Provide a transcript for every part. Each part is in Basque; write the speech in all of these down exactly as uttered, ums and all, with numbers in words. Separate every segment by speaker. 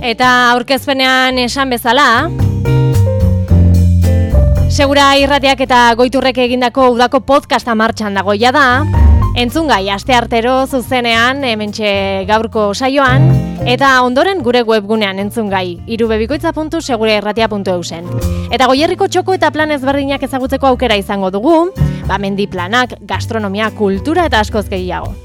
Speaker 1: Eta aurkezpenean esan bezala, Segura Irratiak eta Goiturrek egindako udako podcasta martxan dagoia da, entzungai asteartero zuzenean hementxe gaurko saioan, eta ondoren gure webgunean entzungai irubebikoitza puntu segurairratia puntu eusen. Eta Goierriko txoko eta plan ezberdinak ezagutzeko aukera izango dugu, ba mendi planak, gastronomia, kultura eta askoz gehiago.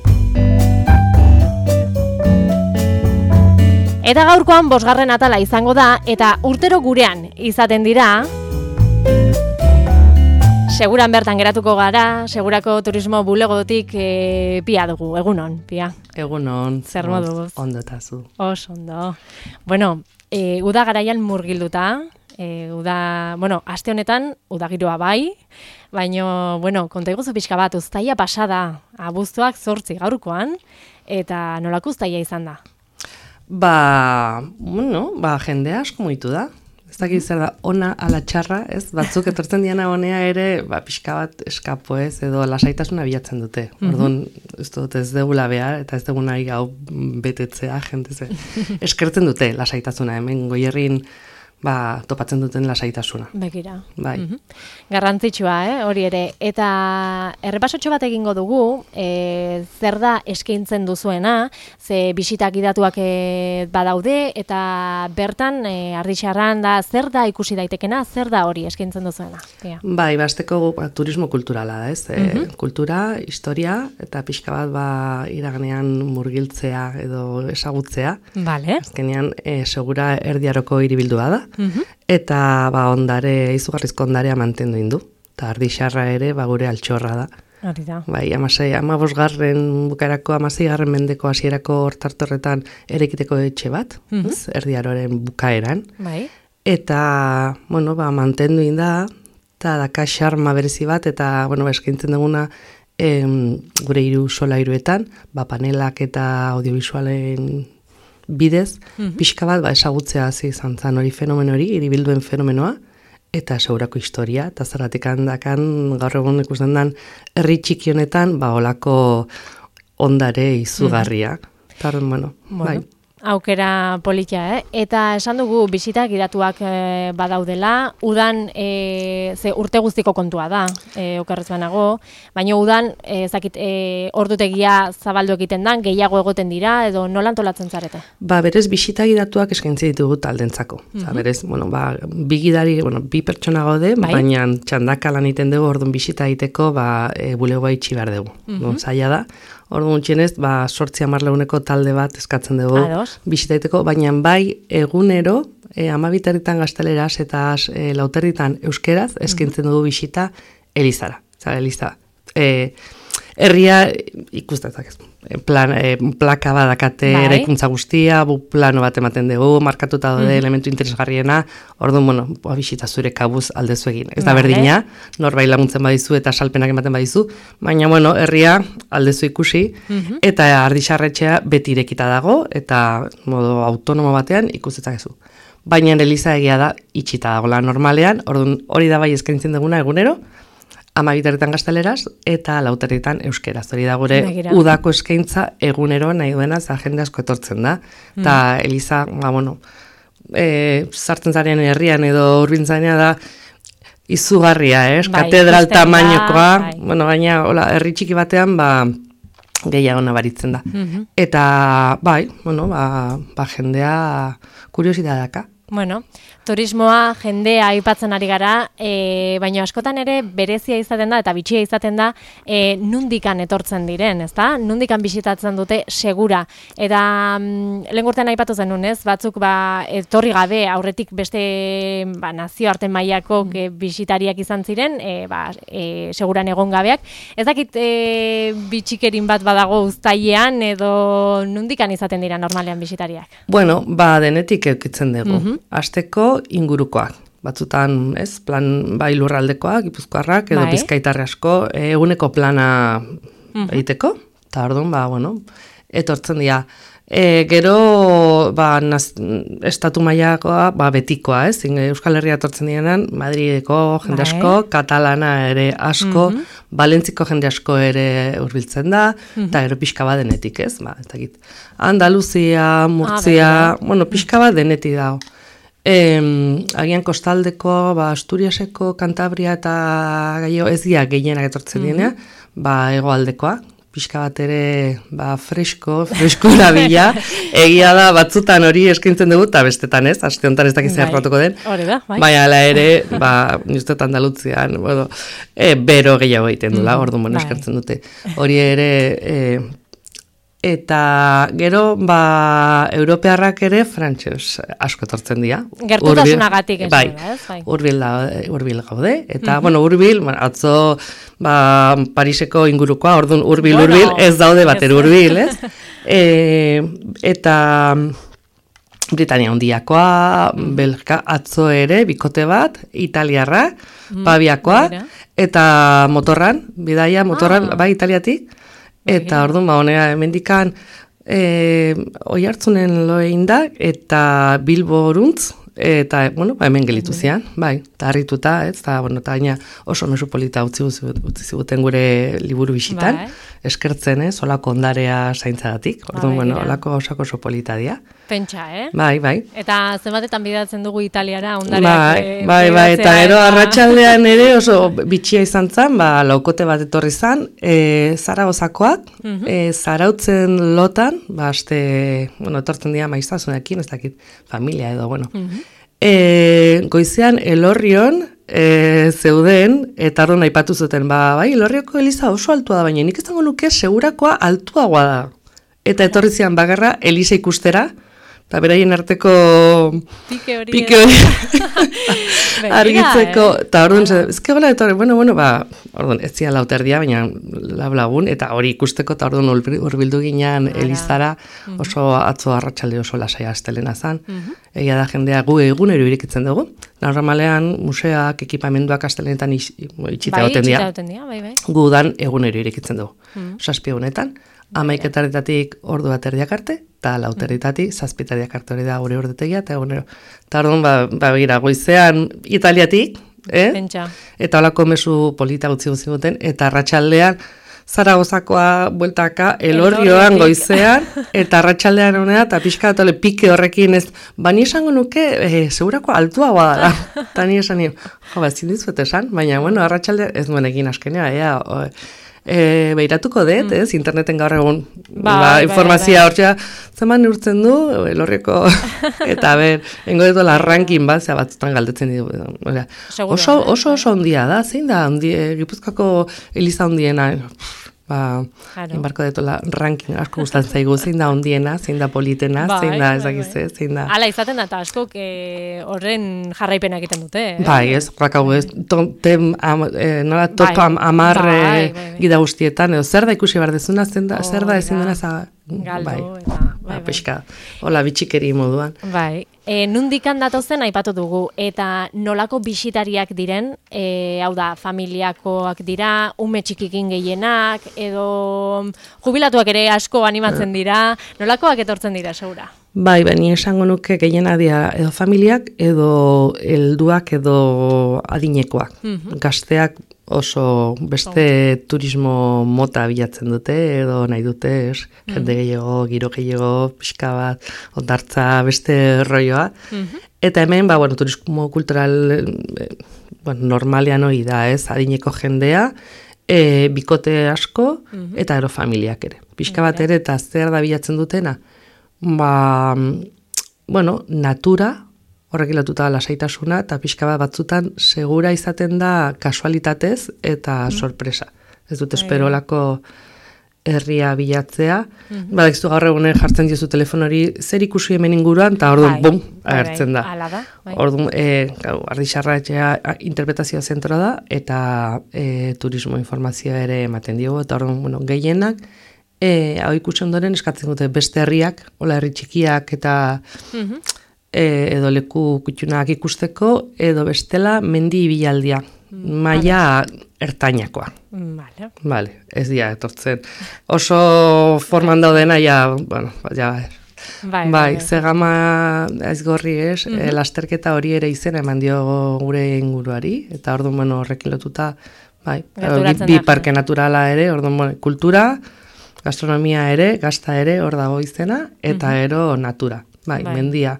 Speaker 1: Eta gaurkoan bosgarren atala izango da, eta urtero gurean izaten dira, seguran bertan geratuko gara, segurako turismo bulegotik e, pia dugu, egunon, pia.
Speaker 2: Egunon.
Speaker 1: Zer moduz?
Speaker 2: Ondotazu.
Speaker 1: Os, ondo. Bueno, e, uda garaian murgilduta, e, uda, bueno, aste honetan udagiroa bai, baino, bueno, konta iguzu pixka bat, uztaia pasada, abuztuak zortzi gaurkoan, eta nolako uztaia izan da?
Speaker 2: Ba, bueno, ba, jendea asko mugitu da. Ez dakit zer da, ona ala txarra, ez? Batzuk etortzen diana honea ere, ba, pixka bat eskapo ez, edo lasaitasuna bilatzen dute. Orduan, ez dut ez degula behar, eta ez dugu nahi gau betetzea, jente ze. Eskertzen dute lasaitasuna, hemen Goierrin, ba, topatzen duten lasaitasuna.
Speaker 1: Bekira.
Speaker 2: Bai.
Speaker 1: Mm-hmm. Garrantzitsua, eh, hori ere. Eta errepasotxo bat egingo dugu, e, zer da eskaintzen duzuena, ze bisitak idatuak e, badaude, eta bertan, e, Ardixarran da, zer da ikusi daitekena, zer da hori eskaintzen duzuena? Ja.
Speaker 2: Bai, basteko ba, turismo kulturala da, ez? Mm-hmm. E, kultura, historia, eta pixka bat ba, iraganean murgiltzea edo esagutzea.
Speaker 1: Vale.
Speaker 2: Azkenean, e, segura erdiaroko hiribildua da.
Speaker 1: Uhum.
Speaker 2: Eta ba, ondare, izugarrizko ondarea mantendu indu. Eta Ardixarra ere ba, gure altxorra da.
Speaker 1: Hori da.
Speaker 2: Bai, amasei, amabosgarren bukaerako, amaseigarren mendeko hasierako hortartorretan erekiteko etxe bat,
Speaker 1: Uhum.
Speaker 2: ez, erdiaroren bukaeran.
Speaker 1: Bai.
Speaker 2: Eta, bueno, ba, mantendu inda, eta daka xarma berezi bat, eta, bueno, ba, eskaintzen duguna em, gure hiru solairuetan, ba, panelak eta audiovisualen bidez, mm-hmm. pixka bat, ba, esagutzea hasi izan zen hori fenomeno hori, hiribilduen fenomenoa, eta segurako historia, eta zergatik handakan gaur egun ikusten den herri txiki honetan, ba, olako ondare izugarria. Mm-hmm. Eta, bueno, bueno, bai.
Speaker 1: Aukera politia, eh? Eta esan dugu bisitak idatuak e, badaudela, udan e, ze urte guztiko kontua da, e, okerrez banago, baina udan e, zakit, e, ordutegia zabaldu egiten dan, gehiago egoten dira, edo nola antolatzen zarete?
Speaker 2: Ba, berez bizitak idatuak eskaintzi ditugu taldentzako. Mm-hmm. Oza, berez, bueno, ba, bi gidari, bueno, bi pertsona gaude, bai? Baina txandaka lan iten dugu, orduan bisita egiteko, ba, e, bulegoa itxi behar dugu. Mm-hmm. No, zaila da. Orduan txenez, ba, sortzi hamarleuneko talde bat eskatzen dugu bisitaiteko, baina bai egunero, e, amabiteritan gazteleraz eta e, lauterritan euskeraz, eskintzen dugu bisita Elizara. Zara, Eliza. E, herria ikustetak ez. Plan, e, plaka badakate bai. Eraikuntza guztia, bu plano bat ematen dugu, markatuta daude mm-hmm. elementu interesgarriena, orduan, bueno, boa, bisita zure kabuz aldezu egin. Ez da vale. Berdina, norbait laguntzen badizu eta salpenak ematen badizu, baina, bueno, herria aldezu ikusi, mm-hmm. eta Ardixarretxea beti irekita dago, eta modo autonomo batean ikustetak ezu. Baina Eliza egia da, itxita dagoela normalean, orduan hori da bai eskaintzen duguna egunero, amabiterritan gazteleraz eta lauterritan euskeraz. Hori da gure Begira. Udako eskaintza egunero nahi duena, za jende asko etortzen da. Eta mm. Eliza, ba, bueno, e, sartzen zaren herrian edo urbintzainea da izugarria, eh? Bai, katedral tamainokoa, bai. Bueno, gaina, hola, herri txiki batean, ba, gehiago nabaritzen da. Mm-hmm. Eta, bai, bueno, ba, ba jendea kuriositateaka.
Speaker 1: Bueno, turismoa, jendea aipatzen ari gara, e, baina askotan ere berezia izaten da eta bitxia izaten da e, nundikan etortzen diren, ezta? Nundikan bisitatzen dute segura. Eta mm, lehen urtean aipatu zenun, ez? Batzuk ba, etorri gabe aurretik beste ba, nazioarte mailako mm. bisitariak izan ziren, e, ba, e, seguran egon gabeak. Ez dakit e, bitxikerin bat badago uztailean edo nundikan izaten dira normalean bisitariak?
Speaker 2: Bueno, ba denetik eukitzen dugu. Mm-hmm. Asteko ingurukoak. Batzutan, ez, plan bai lurraldekoak, gipuzkoarrak, edo bai. Bizkaitarre asko, eguneko plana mm-hmm. egiteko. Eta orduan, ba, bueno, etortzen dira. E, gero, ba, naz, estatu mailakoa, ba, betikoa, ez? Euskal Herria etortzen direnan, Madrideko jende asko, bai. Katalana ere asko, mm -hmm. Valentziko jende asko ere hurbiltzen da, eta mm -hmm. gero pixka bat denetik, ez? Ba, ez dakit. Andaluzia, Murtzia, ah, bueno, pixka bat denetik dago. E, agian kostaldeko, ba, Asturiaseko, Kantabria eta Gaio ez dira gehienak etortzen mm -hmm. direnean, ba, hegoaldekoa. Pixka bat ere, ba, fresko, fresko labila, egia da, batzutan hori eskaintzen dugu, eta bestetan ez, aste honetan ez dakiz zerratuko den.
Speaker 1: Hori da, bai.
Speaker 2: Baina, ala ere, ba, niztetan Andalutzian, bueno, e, bero gehiago egiten dula, mm, orduan, bueno, eskertzen dute. Hori ere, e, eta gero, ba, europearrak ere, frantses asko etortzen dira.
Speaker 1: Gertutasunagatik ez
Speaker 2: bai,
Speaker 1: da, ez? Bai,
Speaker 2: urbil, da, urbil gaude, eta, mm-hmm. bueno, urbil, bueno, atzo, ba, Pariseko ingurukoa, orduan urbil, bueno, urbil, ez daude bater urbil, ez? e, eta Britania handiakoa, mm. Belgika atzo ere, bikote bat, italiarra, mm. Pabiakoa, Mira. Eta motorran, bidaia motorran, ah. bai, italiatik, eta orduan, ba, honea, hemendikan, e, oi hartzunen loein da, eta Bilboruntz, eta, bueno, ba, hemen gelitu zian, bai, eta harrituta, ez, eta, bueno, eta gaina oso mezu polita utzi, utzi ziguten gure liburu bisitan, bai. Eskertzen, ez, olako ondarea zaintzadatik, orduan, bai, bueno, olako osako oso polita dia.
Speaker 1: Pentsa, eh?
Speaker 2: Bai, bai.
Speaker 1: Eta zenbatetan bidatzen dugu Italiara, ondareak...
Speaker 2: Bai, e, bai, bai, eta gero eta... arratsaldean ere oso bitxia izan zen, ba, laukote bat etorri zan, e, Zaragozakoak, uh-huh. e, Zarautzen lotan, ba, aste, bueno, etortzen dira maiztazunekin, ez dakit, familia edo, bueno. Uh-huh. e, goizean, Elorrion, e, zeuden, eta orduan aipatu zuten, ba, bai, Elorrioko eliza oso altua da, baina nik izango nuke segurakoa altuagoa da. Eta etorri zian bagarra, eliza ikustera, eta beraien arteko
Speaker 1: pike hori,
Speaker 2: pike hori. argitzeko, eta eh? orduan, ah. ezke gola etorri, bueno, bueno, ba, orduan, ez zian lauterdia, baina lablagun, eta hori ikusteko, eta orduan urbildu ginean Elizara, oso atzo arratsalde oso lasaia astelena zan, uh-huh. egia da jendea gu egunero irikitzen dugu, normalean museak, ekipamenduak astelenetan itxita goten dira,
Speaker 1: bai, bai.
Speaker 2: gu dan egunero irikitzen dugu, uh-huh. saspi egunetan, amaiketaretatik ordu bat erdiak arte, eta lauteretatik zazpitariak arte hori da gure urdetegia, eta egunero. Eta orduan, ba, ba, gira, goizean Italiatik, eh?
Speaker 1: Pentsa.
Speaker 2: Eta holako mezu polita utzi gutzi guten, eta arratsaldean Zaragozakoa bueltaka Elorrioan goizean, eta arratsaldean honea, eta pixka atole pike horrekin ez, bani esango nuke, eh, segurako altuagoa da, eta ni esan nio, jo, ba, zindizuet esan, baina, bueno, arratsaldean ez nuen egin askenea, ea, o, E, beiratuko dut, mm. ez, interneten gaur egun ba, ba, informazioa hortxea, zeman urtzen du, Elorrioko, eta ber, engo dut la ranking bat, zera batzutan galdetzen ditu. Oso, oso oso ondia da, zein da, ondie, Gipuzkoako eliza ondiena, ba, claro. Enbarko detola ranking asko gustatzen zaigu, zein da ondiena, zein da politena, bai, zein da, ezagizte, zein da.
Speaker 1: Hala izaten da, eta askok eh, horren jarraipena egiten dute. Eh?
Speaker 2: Bai, ez, rakau ez, tem, am, eh, nola top bai. am, amar bai, bai, bai. gida guztietan, edo zer da ikusi behar dezuna, zen da, oh, zer da ezin dena za...
Speaker 1: Galdu,
Speaker 2: bai,
Speaker 1: eta, bai,
Speaker 2: ba, pixka, hola bitxikeri moduan.
Speaker 1: Bai, e, nundikan datozen aipatu dugu, eta nolako bisitariak diren, e, hau da, familiakoak dira, ume txikikin gehienak, edo jubilatuak ere asko animatzen dira, nolakoak etortzen dira, segura?
Speaker 2: Bai, bani esango nuke gehiena dira edo familiak, edo helduak, edo adinekoak. Mm-hmm. Gazteak oso beste oh. turismo mota bilatzen dute, edo nahi dute, es, mm-hmm. jende gehiago, giro gehiago, pixka bat, ondartza, beste rolloa. Mm-hmm. Eta hemen, ba, bueno, turismo kultural, eh, bueno, normalean hori da, ez, adineko jendea, e, bikote asko, mm-hmm. eta ero familiak ere. Pixka bat ere, eta zer da bilatzen dutena, ba, bueno, natura, horrek ilatuta lasaitasuna, eta pixka bat batzutan segura izaten da kasualitatez eta mm. sorpresa. Ez dut esperolako herria bilatzea. Mm-hmm. Badakiztu gaur egunen jartzen diozu telefonori zer ikusi hemen inguruan, eta orduan, bum, agertzen da.
Speaker 1: da.
Speaker 2: Orduan, e, ardixarra etxea interpretazio zentroa da, eta e, turismo informazioa ere ematen diogu, eta orduan, bueno, gehienak, E, hau ikusi ondoren eskatzen dute beste herriak, hola herri txikiak eta mm-hmm. e, edo leku kutxunak ikusteko, edo bestela mendi ibilaldia. maila ertainakoa.
Speaker 1: Vale.
Speaker 2: Vale, ez dira etortzen. Oso forman daudena, ja, bueno, ja,
Speaker 1: Bai,
Speaker 2: bai,
Speaker 1: bai,
Speaker 2: ze gama aizgorri ez,
Speaker 1: Mhm.
Speaker 2: eh, lasterketa hori ere izena eman dio gure inguruari, eta orduan, bueno, horrekin lotuta, bai,
Speaker 1: Gerturatzen
Speaker 2: bi, bi
Speaker 1: da.
Speaker 2: parke naturala ere, orduan, bueno, kultura, gastronomia ere, gazta ere, hor dago izena, eta ero natura, bai,
Speaker 1: Bai.
Speaker 2: mendia.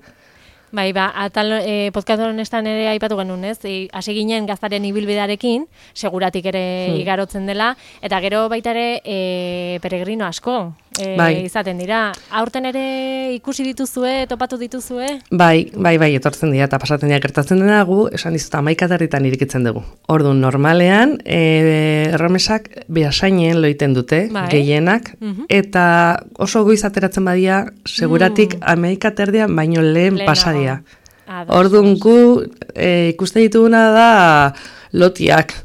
Speaker 1: Bai, ba, atal e, podcast honestan ere aipatu genuen, ez? E, hasi ginen gaztaren ibilbidearekin, seguratik ere
Speaker 2: Hmm.
Speaker 1: igarotzen dela, eta gero baita ere e, peregrino asko e,
Speaker 2: Bai.
Speaker 1: izaten dira. Aurten ere ikusi dituzue, topatu dituzue?
Speaker 2: Bai, bai, bai, etortzen dira, eta pasatzen dira gertatzen dena gu, esan dizut, amaikatarritan irikitzen dugu. Orduan, normalean, e, erromesak behasainen loiten dute,
Speaker 1: Bai.
Speaker 2: gehienak,
Speaker 1: Mhm.
Speaker 2: eta oso goiz ateratzen badia, seguratik mm. amaikaterdian baino lehen
Speaker 1: Lehenago.
Speaker 2: pasadia.
Speaker 1: Ados.
Speaker 2: Orduan, gu e, ikusten dituguna da lotiak.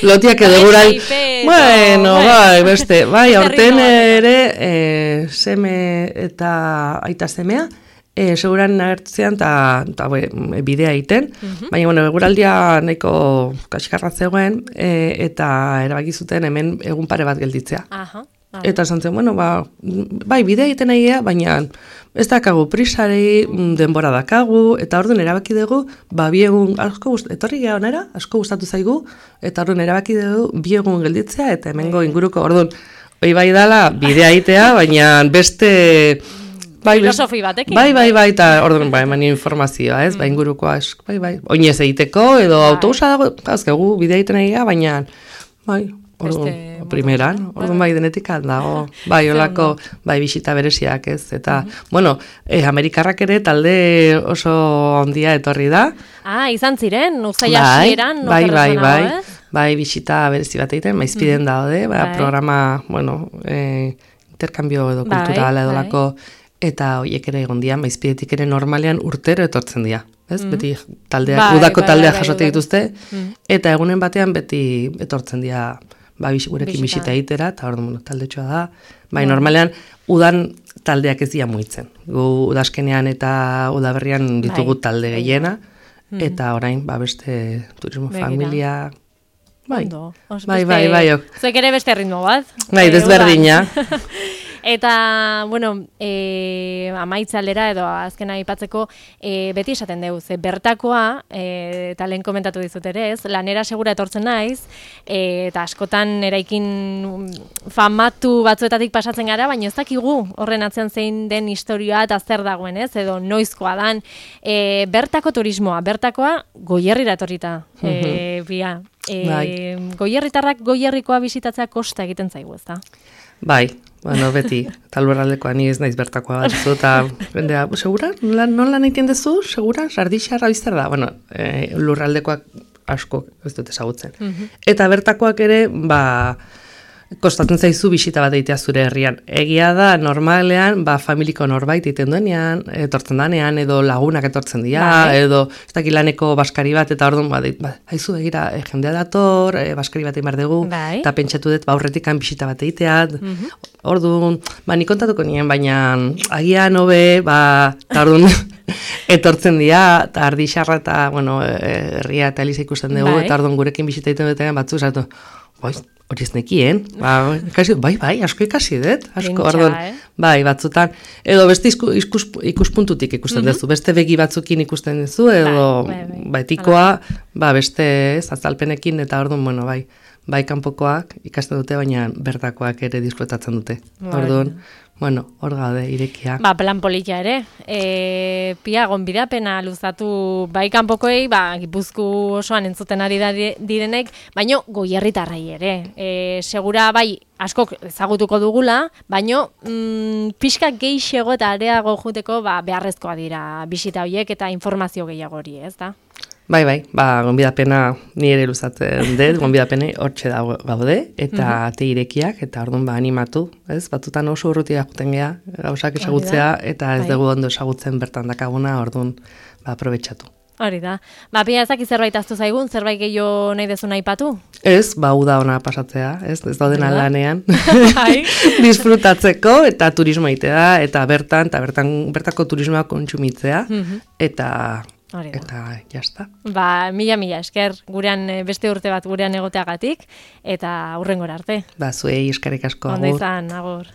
Speaker 2: Lotiak edo
Speaker 1: Bai,
Speaker 2: gura...
Speaker 1: saipe,
Speaker 2: Bueno,
Speaker 1: bai.
Speaker 2: bai, beste, bai,
Speaker 1: Beste
Speaker 2: aurten
Speaker 1: ritmo bateko.
Speaker 2: ere e, seme eta aita semea, e, seguran agertzean eta bidea egiten, baina, bueno, eguraldia nahiko kaskarra zegoen, e, eta erabaki zuten hemen egun pare bat gelditzea.
Speaker 1: Aha. aha.
Speaker 2: Eta esan zen, bueno, ba, bai, bidea egiten egia, baina ez dakagu prisari, mm, denbora dakagu, eta orduan erabaki dugu, ba, bi egun, asko gust, etorri geha onera, asko gustatu zaigu, eta orduan erabaki dugu, bi egun gelditzea, eta hemengo inguruko, orduan, hoi bai dala, bidea egitea, baina beste... Bai,
Speaker 1: Filosofi batekin.
Speaker 2: Bai, bai, bai, eta orduan, bai, eman informazioa, ez, bai, ingurukoa, es, bai, bai, oinez egiteko, edo
Speaker 1: Bai.
Speaker 2: autobusa dago, azkegu, bidea egiten egia, baina, bai, orduan,
Speaker 1: Beste
Speaker 2: primeran,
Speaker 1: modu,
Speaker 2: orduan bai denetik dago, bai,
Speaker 1: Ze
Speaker 2: olako, bai, bisita bereziak ez, eta, bueno, eh, Amerikarrak ere talde oso handia etorri da,
Speaker 1: Ah, izan ziren, uzaila
Speaker 2: bai,
Speaker 1: hasieran,
Speaker 2: bai,
Speaker 1: oker
Speaker 2: bai,
Speaker 1: ez
Speaker 2: bai,
Speaker 1: banago, ez?
Speaker 2: bai, bisita berezi bat egiten, maizpiden daude, ba,
Speaker 1: Bai.
Speaker 2: programa, bueno, eh, interkambio edo
Speaker 1: Bai,
Speaker 2: kulturala edo
Speaker 1: bai.
Speaker 2: lako, eta hoiek ere egon dira, maizpidetik ere normalean urtero etortzen dira. Ez? Beti taldea,
Speaker 1: Bai,
Speaker 2: udako
Speaker 1: bai,
Speaker 2: taldea
Speaker 1: bai, bai,
Speaker 2: jasote
Speaker 1: udako.
Speaker 2: dituzte,
Speaker 1: Mhm.
Speaker 2: eta egunen batean beti etortzen dira ba, bis, gurekin
Speaker 1: Bisita.
Speaker 2: bisita egitera, eta orduan, bueno, taldetxoa da. Bai, normalean, udan taldeak ez dira muitzen. Gu udazkenean eta udaberrian ditugu
Speaker 1: Bai.
Speaker 2: talde gehiena, eta orain, ba, beste turismo
Speaker 1: Begira.
Speaker 2: familia... Bai,
Speaker 1: Ondo. Os
Speaker 2: bai,
Speaker 1: beste-
Speaker 2: bai, bai, ok.
Speaker 1: Zuek ere beste ritmo bat.
Speaker 2: Bai,
Speaker 1: Eh,
Speaker 2: desberdina.
Speaker 1: udan. Eta, bueno, e, amaitzalera edo azkena aipatzeko e, beti esaten dugu, ze bertakoa, e, eta lehen komentatu dizut ere ez, lanera segura etortzen naiz, e, eta askotan eraikin famatu batzuetatik pasatzen gara, baina ez dakigu horren atzean zein den historioa eta zer dagoen ez, edo noizkoa dan. E, bertako turismoa, bertakoa goierrira etorrita, e, bia. E,
Speaker 2: Bai.
Speaker 1: Goierritarrak goierrikoa bisitatzea kosta egiten zaigu, ez da?
Speaker 2: Bai, bueno, beti, eta lurraldekoa ni ez naiz bertakoa bat zu, eta bendea, segura, nola, nola nahi dezu, segura, sardixarra bizter da, bueno, e, lurraldekoak asko ez dut ezagutzen. Eta bertakoak ere, ba, kostatzen zaizu bisita bat egitea zure herrian. Egia da, normalean, ba, familiko norbait egiten duenean, etortzen danean, edo lagunak etortzen dira,
Speaker 1: Bai.
Speaker 2: edo ez dakit laneko baskari bat, eta orduan, ba, deit, ba, haizu begira, e, jendea dator, e, baskari bat egin behar dugu,
Speaker 1: Bai.
Speaker 2: eta pentsatu dut, ba, aurretikan bisita bat egitea, orduan, ba, nik kontatuko nien, baina agian hobe, ba, eta orduan, etortzen dira, eta ardixarra eta, bueno, e, herria eta eliza ikusten dugu,
Speaker 1: Bai.
Speaker 2: eta orduan gurekin bisita egiten dutenean batzu, esatu, bai, hori ez nekien, ba, ikasi, bai, bai, asko ikasi dut, asko,
Speaker 1: Pentsa,
Speaker 2: orduan,
Speaker 1: eh?
Speaker 2: bai, batzutan, edo beste isku, iskus, ikuspuntutik ikusten duzu, beste begi batzukin ikusten duzu, edo,
Speaker 1: Bai, bai, bai.
Speaker 2: ba, etikoa, ba, beste, ez, azalpenekin, eta orduan, bueno, bai, bai, kanpokoak ikasten dute, baina bertakoak ere disfrutatzen dute.
Speaker 1: Bai.
Speaker 2: Orduan, bueno, hor gaude, irekia.
Speaker 1: Ba, plan polita ere. E, pia, gonbidapena luzatu bai kanpokoei, ba, Gipuzku osoan entzuten ari da direnek, baino goierritarrai ere. E, segura bai askok ezagutuko dugula, baino mm, pixka gehiago eta areago juteko ba, beharrezkoa dira bisita horiek eta informazio gehiago hori, ez da?
Speaker 2: Bai, bai, ba, gonbidapena ni ere luzatzen dut, gonbidapene hortxe da gaude, eta ate irekiak, eta orduan ba, animatu, ez? Batzutan oso urrutia juten gea, gauzak ezagutzea, eta ez
Speaker 1: Bai.
Speaker 2: dugu ondo ezagutzen bertan dakaguna, orduan ba, aprobetxatu.
Speaker 1: Hori da. Ba, pia ezak zerbait aztu zaigun, zerbait gehiago nahi dezun aipatu?
Speaker 2: Ez, ba, uda ona pasatzea, ez? Ez daudena
Speaker 1: Hori da.
Speaker 2: lanean.
Speaker 1: Bai.
Speaker 2: Disfrutatzeko, eta turismo egitea, eta bertan, eta bertan, bertako turismoa kontsumitzea, eta
Speaker 1: Hori da.
Speaker 2: Eta jazta.
Speaker 1: Ba, mila mila esker, gurean beste urte bat gurean egoteagatik, eta hurrengora arte.
Speaker 2: Ba, zuei eskerrik asko, agur.
Speaker 1: Ondo izan, agur.